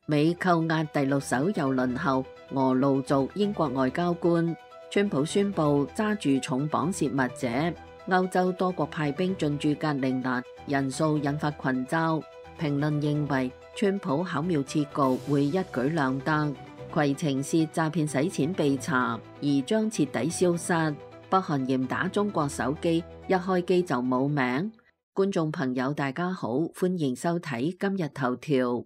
美扣押第6艘郵輪後，俄盧族英國外交官。川普宣布揸住重磅泄密者。歐洲多國派兵進駐格陵蘭，人數引發群嘲。評論認為，川普巧妙設局會一舉兩得。攜程涉詐騙洗錢被查，而將徹底消失。北韓嚴打中國手機，一開機就冇名。觀眾朋友大家好，歡迎收睇今日頭條。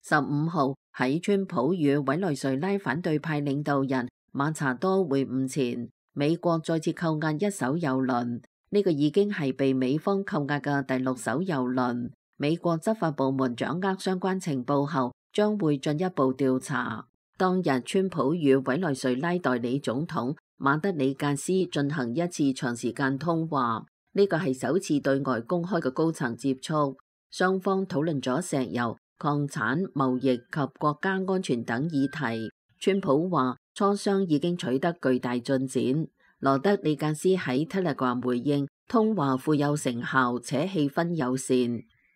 15號喺川普與委內瑞拉反對派領導人馬查多會晤前，美國再次扣押一艘郵輪。呢個已經係被美方扣押嘅第6艘郵輪。美國執法部門掌握相關情報後，將會進一步調查。當日，川普與委內瑞拉代理總統馬德里格斯進行一次長時間通話，呢個係首次對外公開嘅高層接觸。雙方討論咗石油、礦產、貿易及國家安全等議題。川普話磋商已經取得巨大進展。羅德里格斯喺 Telegram 回應，通話富有成效且氣氛友善，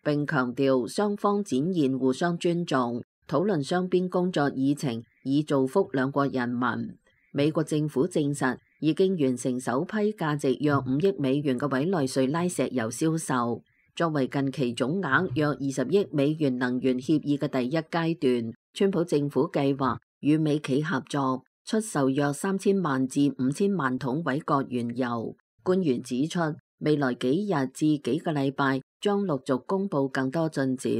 並強調雙方展現互相尊重，討論雙邊工作議程，以造福兩國人民。美國政府證實已經完成首批價值約5億美元嘅委內瑞拉石油銷售。作為近期總額約20億美元能源協議嘅第一階段，川普政府計劃與美企合作，出售約3000萬至5000萬桶委國原油。官員指出，未來幾日至幾個禮拜將陸續公布更多進展。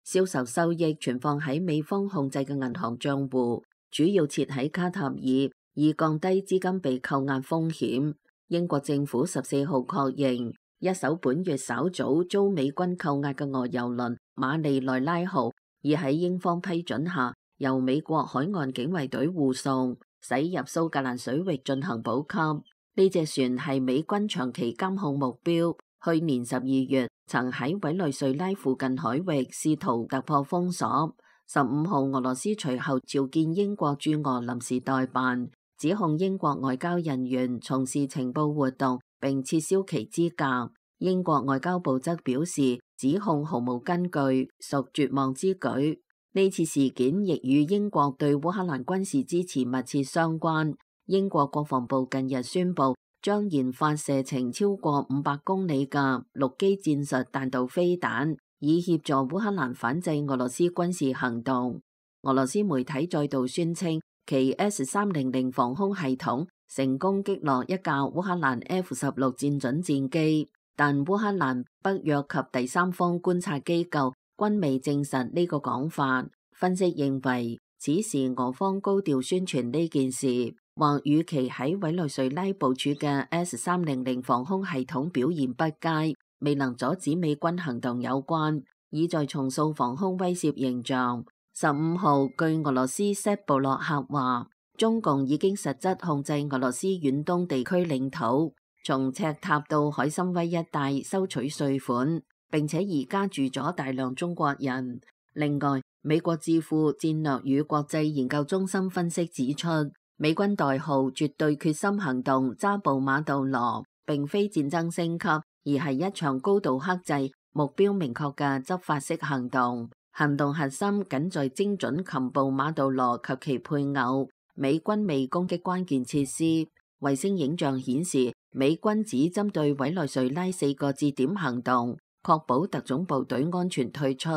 銷售收益存放喺美方控制嘅銀行賬戶，主要設喺卡塔爾，以降低資金被扣押風險。英國政府14號確認，一艘本月稍早遭美軍扣押嘅俄郵輪馬利內拉號，已喺英方批准下，由美國海岸警衛隊護送，駛入蘇格蘭水域進行補給。呢隻船係美軍長期監控目標，去年12月曾喺委內瑞拉附近海域試圖突破封鎖。15號俄羅斯隨後召見英國駐俄臨時代辦，指控英國外交人員從事情報活動並撤銷其資格。英國外交部則表示，指控毫無根據，屬絕望之舉。呢次事件亦與英國對烏克蘭軍事支持密切相關。英國國防部近日宣布，將研發射程超過500公里嘅陸基戰術彈道飛彈，以協助烏克蘭反制俄羅斯軍事行動。俄羅斯媒體再度宣稱，其 S-300防空系統成功擊落一架烏克蘭 F-16戰準戰機，但烏克蘭、北約及第三方觀察機構均未證實呢個講法。分析認為，此時俄方高調宣傳呢件事，或與其喺委內瑞拉部署嘅 S-300防空系統表現不佳，未能阻止美軍行動有關，意在重塑防空威懾形象。15號，據俄羅斯塞布洛克話，中共已經實質控制俄羅斯遠東地區領土，從赤塔到海參崴一帶收取稅款，並且而家住咗大量中國人。另外，美國智庫戰略與國際研究中心分析指出，美軍代號絕對決心行動抓捕馬杜羅並非戰爭升級，而係一場高度克制、目標明確嘅執法式行動。行動核心僅在精準擒捕馬杜羅及其配偶。美軍未攻擊關鍵設施。衛星影像顯示，美軍只針對委內瑞拉4個節點行動，確保特種部隊安全退出。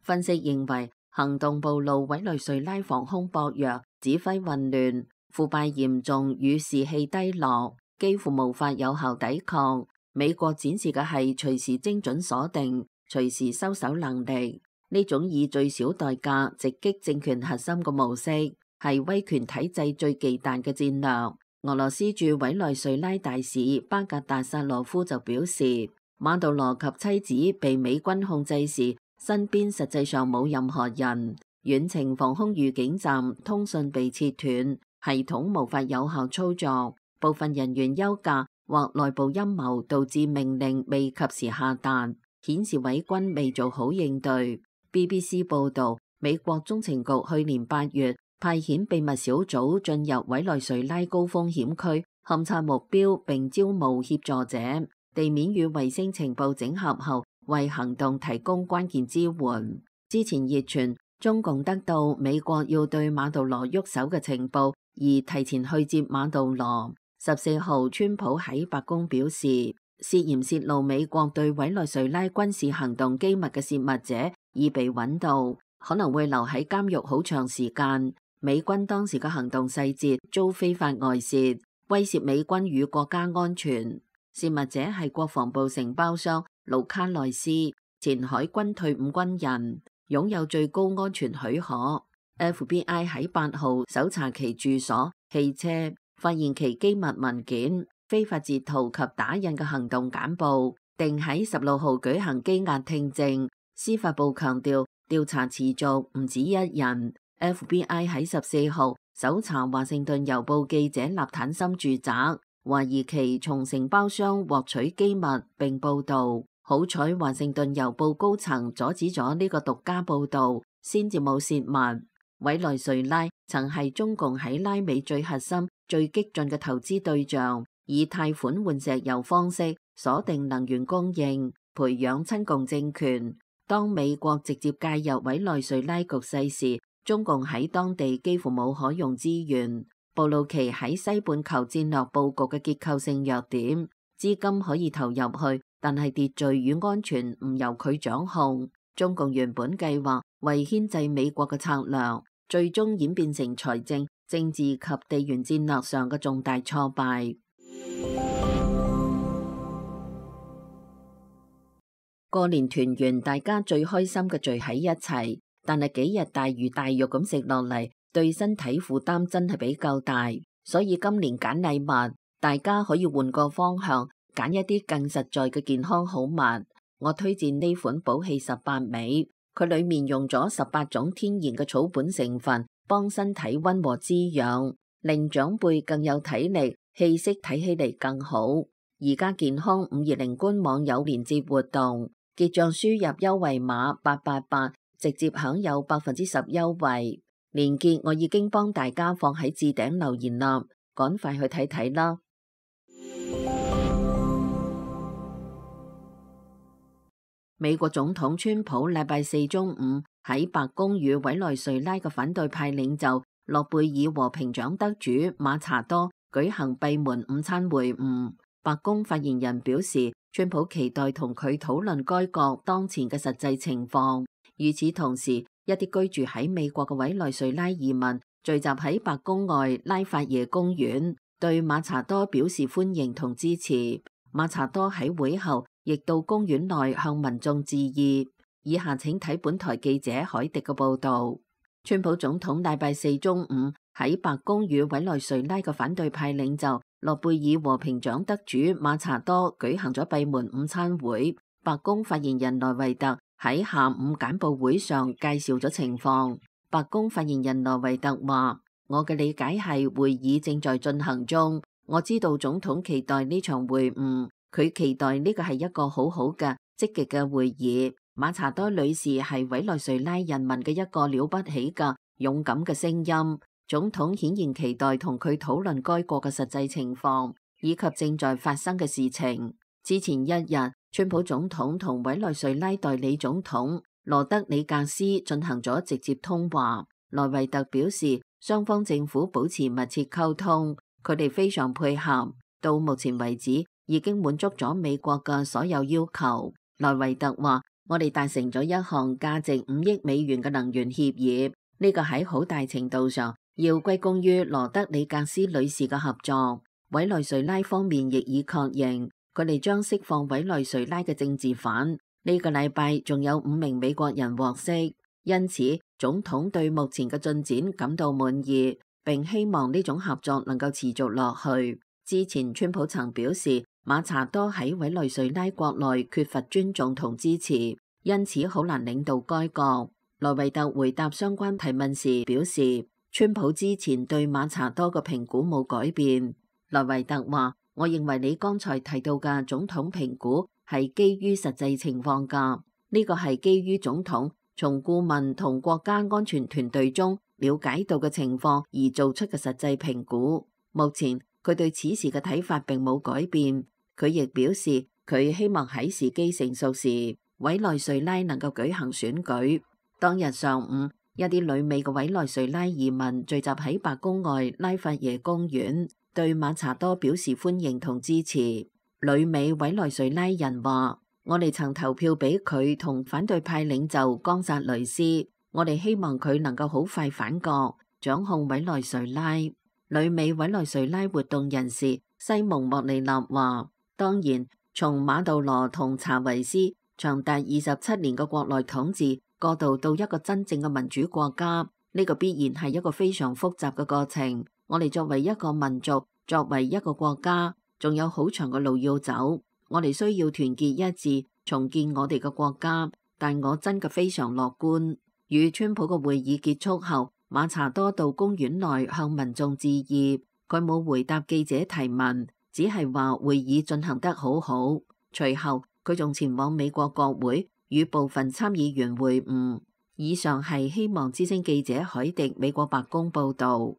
分析認為，行動暴露委內瑞拉防空薄弱、指揮混亂、腐敗嚴重與士氣低落，幾乎無法有效抵抗。美國展示嘅係隨時精準鎖定、隨時收手能力。呢種以最小代價直擊政權核心嘅模式，係威權體制最忌憚嘅戰略。俄羅斯駐委內瑞拉大使巴格達薩羅夫就表示，馬杜羅及妻子被美軍控制時，身邊實際上冇任何人，遠程防空預警站通訊被切斷，系統無法有效操作，部分人員休假或內部陰謀導致命令未及時下達，顯示委軍未做好應對。BBC 報導，美國中情局去年8月派遣秘密小組進入委內瑞拉高風險區，勘察目標並招募協助者。地面與衛星情報整合後，為行動提供關鍵支援。之前熱傳中共得到美國要對馬杜羅喐手嘅情報，而提前去接馬杜羅。14號，川普喺白宮表示，涉嫌泄露美國對委內瑞拉軍事行動機密嘅泄密者已被揾到，可能會留喺監獄好長時間。美軍當時嘅行動細節遭非法外泄，威脅美軍與國家安全。泄密者係國防部承包商盧卡內斯，前海軍退伍軍人，擁有最高安全許可。FBI 喺8號搜查其住所、汽車，發現其機密文件、非法截圖及打印嘅行動簡報，定喺16號舉行羈押聽證。司法部強調調查持續，唔止一人。FBI 喺14號搜查華盛頓郵報記者納坦森住宅，懷疑其從承包商獲取機密並報道。好彩華盛頓郵報高層阻止咗呢個獨家報道，先至冇泄密。委內瑞拉曾係中共喺拉美最核心、最激進嘅投資對象，以貸款換石油方式鎖定能源供應，培養親共政權。當美國直接介入委內瑞拉局勢時，中共喺當地幾乎冇可用資源，暴露其喺西半球戰略佈局嘅結構性弱點。資金可以投入去，但係秩序與安全唔由佢掌控。中共原本計劃為牽制美國嘅策略，最終演變成財政、政治及地緣戰略上嘅重大挫敗。過年團圓，大家最開心嘅聚喺一齊。但係幾日大魚大肉咁食落嚟，對身體負擔真係比較大，所以今年揀禮物，大家可以換個方向，揀一啲更實在嘅健康好物。我推薦呢款寶氣18味，佢裏面用咗18種天然嘅草本成分，幫身體溫和滋養，令長輩更有體力，氣色睇起嚟更好。而家健康520官網有連接活動，結賬輸入優惠碼888。直接享有10%優惠，鏈接我已經幫大家放喺置頂留言啦，趕快去睇睇啦。美國總統川普禮拜4中午喺白宮與委內瑞拉嘅反對派領袖諾貝爾和平獎得主馬查多舉行閉門午餐會晤。白宮發言人表示，川普期待同佢討論該國當前嘅實際情況。與此同時，一啲居住喺美國嘅委內瑞拉移民聚集喺白宮外拉法耶公園，對馬查多表示歡迎同支持。馬查多喺會後亦到公園內向民眾致意。以下請睇本台記者海迪嘅報道。川普總統禮拜4中午喺白宮與委內瑞拉嘅反對派領袖諾貝爾和平獎得主馬查多舉行咗閉門午餐會。白宮發言人萊維特喺下午簡報會上介紹咗情況。白宮發言人萊維特話：我嘅理解係會議正在進行中，我知道總統期待呢場會晤，佢期待呢個係一個好好嘅積極嘅會議。馬查多女士係委內瑞拉人民嘅一個了不起嘅勇敢嘅聲音，總統顯然期待同佢討論該國嘅實際情況以及正在發生嘅事情。之前一日，川普總統同委內瑞拉代理總統羅德里格斯進行咗直接通話。萊維特表示，雙方政府保持密切溝通，佢哋非常配合，到目前為止已經滿足咗美國嘅所有要求。萊維特話：我哋達成咗一項價值5億美元嘅能源協議，呢個喺好大程度上要歸功於羅德里格斯女士嘅合作。委內瑞拉方面亦已確認，佢哋將釋放委內瑞拉嘅政治犯。呢個禮拜仲有5名美國人獲釋，因此總統對目前嘅進展感到滿意，並希望呢種合作能夠持續落去。之前川普曾表示，馬查多喺委內瑞拉國內缺乏尊重同支持，因此好難領導該國。萊維特回答相關提問時表示，川普之前對馬查多嘅評估冇改變。萊維特話：我認為你剛才提到嘅總統評估係基於實際情況㗎，呢個係基於總統從顧問同國家安全團隊中了解到嘅情況而做出嘅實際評估。目前佢對此事嘅睇法並冇改變。佢亦表示佢希望喺時機成熟時委內瑞拉能夠舉行選舉。當日上午，一啲旅美嘅委內瑞拉移民聚集喺白宮外拉法耶公園，對馬查多表示歡迎同支持。旅美委內瑞拉人話：我哋曾投票俾佢同反對派領袖岡薩雷斯，我哋希望佢能夠好快反國，掌控委內瑞拉。旅美委內瑞拉活動人士西蒙莫利納話：當然，從馬杜羅同查維斯長達27年嘅國內統治過渡到一個真正嘅民主國家，呢個必然係一個非常複雜嘅過程。我哋作為一個民族，作為一個國家，仲有好長嘅路要走。我哋需要團結一致，重建我哋嘅國家。但我真嘅非常樂觀。與川普嘅會議結束後，馬查多到公園內向民眾致意。佢冇回答記者提問，只係話會議進行得好好。隨後佢仲前往美國國會與部分參議員會晤。以上係希望之聲記者海迪美國白宮報導。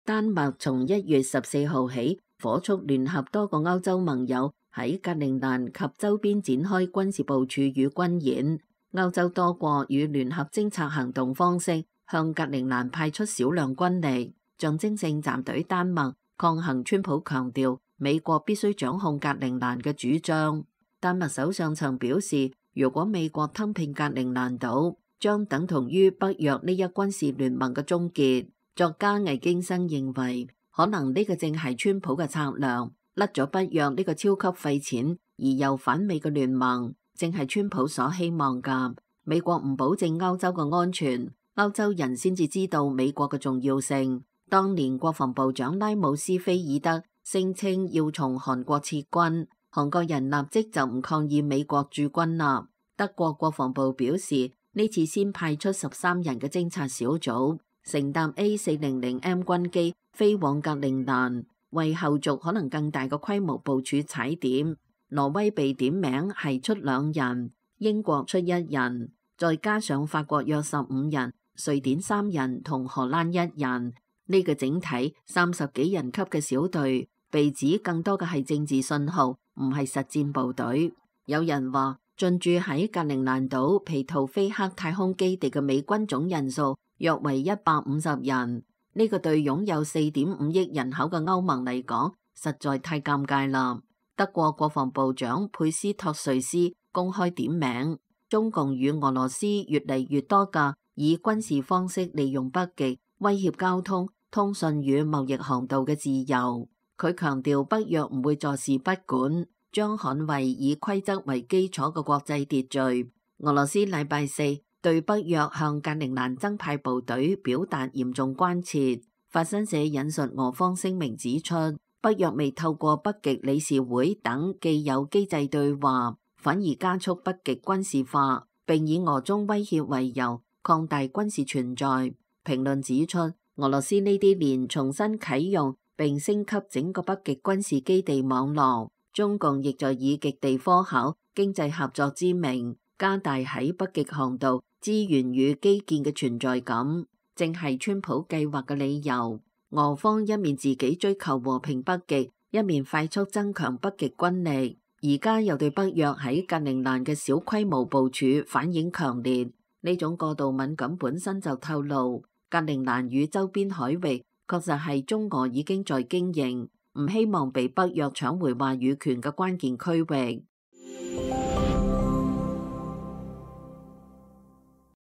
丹麥從1月14號起火速聯合多個歐洲盟友喺格陵蘭及周邊展開軍事部署與軍演。歐洲多國以聯合偵察行動方式向格陵蘭派出少量軍力，象徵性站隊丹麥抗衡川普強調美國必須掌控格陵蘭嘅主張。丹麥首相曾表示，如果美國吞併格陵蘭島，將等同於北約呢一軍事聯盟嘅終結。作家魏京生認為，可能呢個正係川普嘅策略，甩咗北約呢個超級費錢而又反美嘅聯盟，正係川普所希望㗎。美國唔保證歐洲嘅安全，歐洲人先至知道美國嘅重要性。當年國防部長拉姆斯菲爾德聲稱要從韓國撤軍，韓國人立即就唔抗議美國駐軍啦。德國國防部表示，呢次先派出13人嘅偵察小組，乘搭 A400M 軍機飛往格陵蘭，為後續可能更大嘅規模部署踩點。挪威被點名係出2人，英國出1人，再加上法國約15人，瑞典3人同荷蘭1人。呢個整體30幾人級嘅小隊，被指更多嘅係政治信號，唔係實戰部隊。有人話，進駐喺格陵蘭島皮圖菲克太空基地嘅美軍總人數約為150人。呢個對擁有4.5億人口嘅歐盟嚟講，實在太尷尬啦。德國國防部長佩斯托瑞斯公開點名，中共與俄羅斯越嚟越多嘅以軍事方式利用北極，威脅交通、通訊與貿易航道嘅自由。佢強調北約唔會坐視不管，將捍衛以規則為基礎嘅國際秩序。俄羅斯禮拜4對北約向格陵蘭增派部隊表達嚴重關切。法新社引述俄方聲明指出，北約未透過北極理事會等既有機制對話，反而加速北極軍事化，並以俄中威脅為由擴大軍事存在。評論指出，俄羅斯呢啲年重新啟用並升級整個北極軍事基地網絡，中共亦在以極地科考、經濟合作之名，加大喺北極航道資源與基建嘅存在感，正係川普計劃嘅理由。俄方一面自己追求和平北極，一面快速增強北極軍力，而家又對北約喺格陵蘭嘅小規模部署反應強烈。呢種過度敏感本身就透露，格陵蘭與周邊海域確實係中俄已經在經營，唔希望被北約搶回話語權嘅關鍵區域。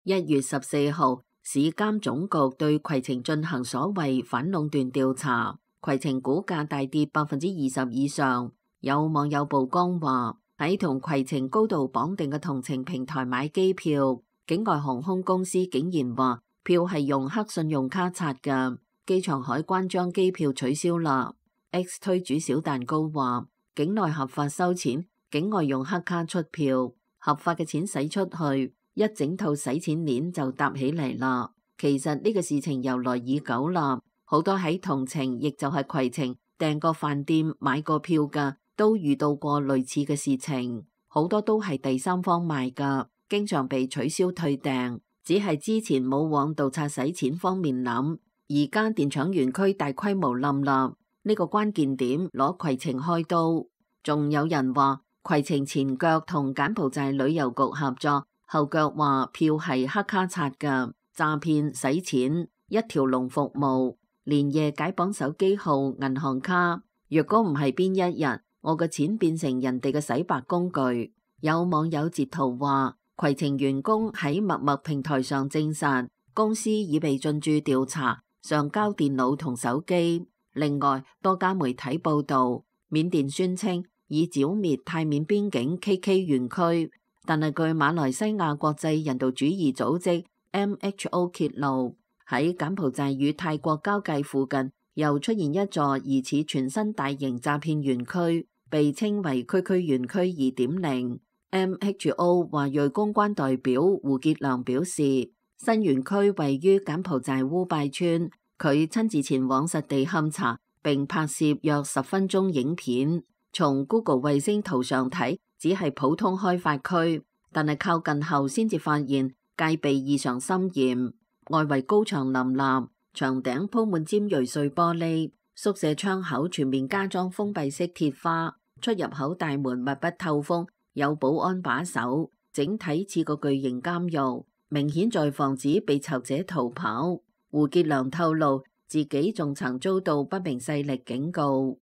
1月14號，市監總局對攜程進行所謂反壟斷調查，攜程股價大跌20%以上。有網友曝光話，喺同攜程高度綁定嘅同程平台買機票，境外航空公司竟然話票係用黑信用卡刷㗎，機場海關將機票取消啦。X 推主小蛋糕話，境內合法收錢，境外用黑卡出票，合法嘅錢使出去，一整套洗錢鏈就搭起嚟啦。其實呢個事情由來已久啦，好多喺同程亦就係攜程訂過飯店買過票㗎，都遇到過類似嘅事情，好多都係第三方賣㗎，經常被取消退訂，只係之前冇往盜刷洗錢方面諗，而家電廠園區大規模冧啦，呢個關鍵點攞攜程開刀。仲有人話攜程前腳同柬埔寨旅遊局合作，後腳話票係黑卡刷㗎，詐騙洗錢，一條龍服務，連夜解綁手機號、銀行卡。若果唔係邊一日，我嘅錢變成人哋嘅洗白工具。有網友截圖話，攜程員工喺陌陌平台上證實，公司已被進駐調查，上交電腦同手機。另外，多家媒體報道，緬甸宣稱已剿滅泰緬邊境 KK 園區，但係據馬來西亞國際人道主義組織 MHO 揭露，喺柬埔寨與泰國交界附近又出現一座疑似全新大型詐騙園區，被稱為區區園區 2.0。MHO 華裔公關代表胡傑良表示，新園區位於柬埔寨烏拜村，佢親自前往實地勘查並拍攝約10分鐘影片。從 Google 衛星圖上睇，只係普通開發區，但係靠近後先至發現戒備異常森嚴，外圍高牆林立，牆頂鋪滿尖銳碎玻璃，宿舍窗口全面加裝封閉式鐵花，出入口大門密不透風，有保安把守，整體似個巨型監獄，明顯在防止被賊者逃跑。胡傑良透露，自己仲曾遭到不明勢力警告。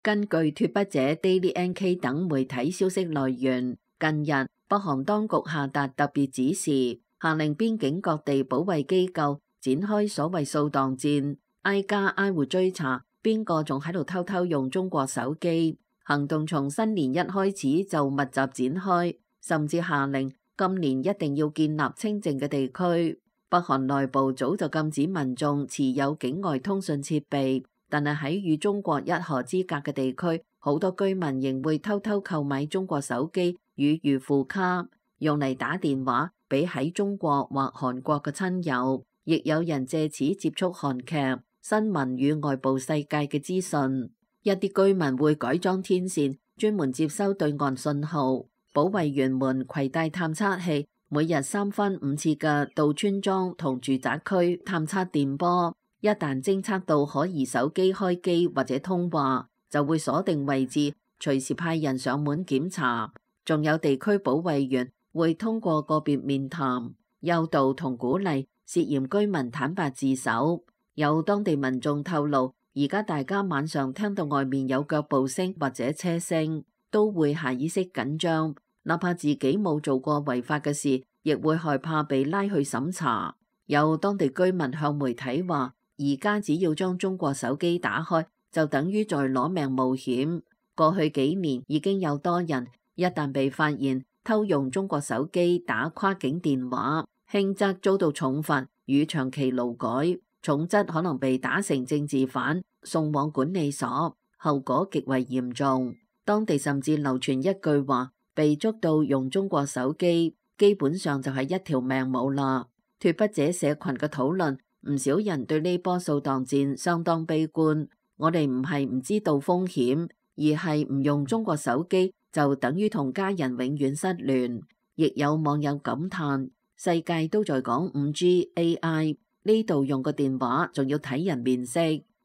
根據脫北者 Daily NK 等媒體消息來源，近日北韓當局下達特別指示，下令邊境各地保衛機構展開所謂掃蕩戰，挨家挨戶追查邊個仲喺度偷偷用中國手機。行動從新年一開始就密集展開，甚至下令今年一定要建立清靜嘅地區。北韓內部早就禁止民眾持有境外通訊設備。但係喺與中國一河之隔嘅地區，好多居民仍會偷偷購買中國手機與預付卡，用嚟打電話俾喺中國或韓國嘅親友。亦有人借此接觸韓劇、新聞與外部世界嘅資訊。一啲居民會改裝天線，專門接收對岸信號。保衛員們攜帶探測器，每日3分5次嘅到村莊同住宅區探測電波。一旦偵測到可疑手機開機或者通話，就會鎖定位置，隨時派人上門檢查。仲有地區保衛員會通過個別面談，誘導同鼓勵涉嫌居民坦白自首。有當地民眾透露，而家大家晚上聽到外面有腳步聲或者車聲，都會下意識緊張，哪怕自己冇做過違法嘅事，亦會害怕被拉去審查。有當地居民向媒體話，而家只要將中國手機打開，就等於在攞命冒險。過去幾年已經有多人一旦被發現偷用中國手機打跨境電話，輕則遭到重罰與長期勞改，重則可能被打成政治犯，送往管理所，後果極為嚴重。當地甚至流傳一句話，被捉到用中國手機，基本上就係一條命冇啦。脫北者社群嘅討論，唔少人對呢波掃蕩戰相當悲觀。我哋唔係唔知道風險，而係唔用中國手機就等於同家人永遠失聯。亦有網友感嘆，世界都在講 5G AI， 呢度用個電話仲要睇人面色。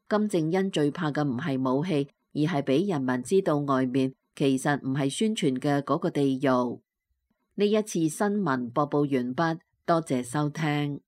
金正恩最怕嘅唔係武器，而係俾人民知道外面其實唔係宣傳嘅嗰個地獄。呢一次新聞播報完畢，多謝收聽。